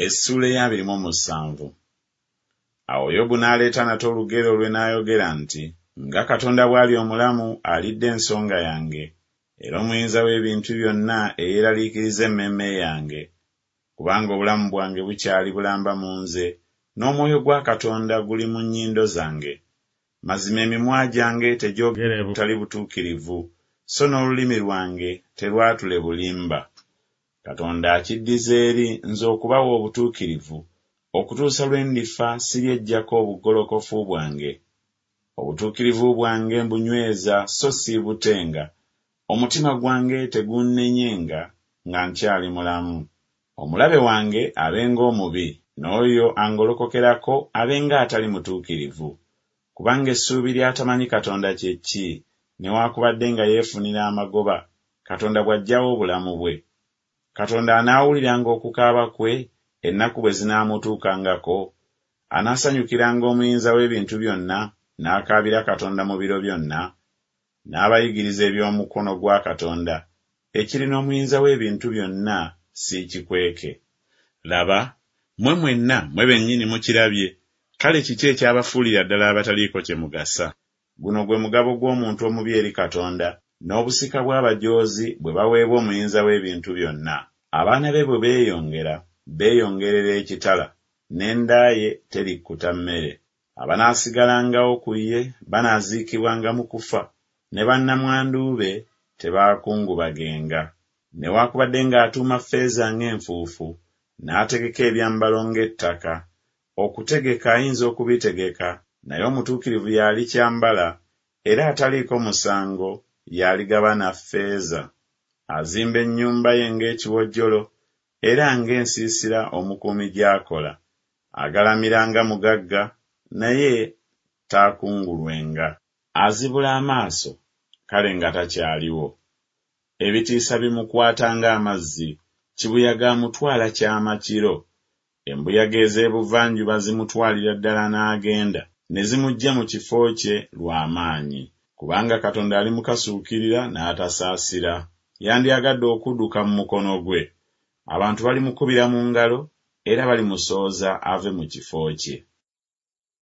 Essuula ey'abiri mu omusanvu. Awo Yobu n'aleeta nate olugero lwe n'ayogera nti, Nga Katonda bw'ali omulamu alidde ensonga yange, era Omuyinza w'ebintu byonna eyeeraliikiriza emmeeme yange, kubanga obulamu bwange bukyali bulamba mu nze, n'omwoyo gwa Katonda guli mu nnyindo zange. Mazima emimwa gyange tegyogere butali butuukirivu, so n'olulimi lwange terwatule bulimba. Katonda akiddiza eri nze okubawa obutuukirivu, okutuusa lwe ndifa siryeggyako obugolokofu bwange. Obutuukirivu bwange mbunyweza so siibutenga, omutima gwange teguunenyenga nga nkyali mulamu. Omulabe wange abenga omubi, n'oyo angolokokerako abenga atali mutuukirivu. Kubanga essuubi ly'atamanyi Katonda kye ki, newakubadde nga yeefunira amagoba, Katonda bw'aggyawo obulamu bwe? Katonda anaawuliranga okukaaba kwe, ennaku bwe zinaamutuukangako? Anaasanyukiranga Omuyinza w'ebintu byonna, n'akaabira Katonda mu biro byonna? Naabayigiriza eby'omukono gwa Katonda, ekiri n'Omuyinza w'ebintu byonna siikikweke. Laba, mmwe mwenna, mmwe bennyini mukirabye, kale kiki ekyabafuulira ddala abataliiko kye mugasa? Guno gwe mugabo gw'omuntu omubi eri Katonda, n'obusika bw'abajoozi bwe baweebwa Omuyinza w'ebintu byonna. Abaana be bwe beeyongera, beeyongerera ekitala, n'enda ye terikkuta mmere. Abanaasigalangawo ku ye banaaziikibwanga mu kufa, ne bannamwandu be tebaakungubagenga. Newakubadde ng'atuuma ffeeza ng'enfuufu, n'ategeka ebyambalo ng'ettaka, okutegeka ayinza okubitegeka, naye omutuukirivu y'alikyambala, era ataliiko musango y'aligabana ffeeza. Azimba ennyumba ye ng'ekiwojjolo, era ng'ensiisira omukuumi gy'akola. Agalamira nga mugagga, naye taakungulwenga. Azibula amaaso, kale nga takyaliwo. Ebitiisa bimukwata ng'amazzi, kibuyaga amutwala kyama kiro. Embuyaga ez'ebuvanjuba zimutwalira ddala n'agenda, ne zimuggya mu kifo kye lwa maanyi. Kubanga Katonda alimukasuukirira n'atasaasira, yandyagadde okudduka mu mukono gwe. Abantu balimukubira mu ngalo, era balimusooza ave mu kifo kye.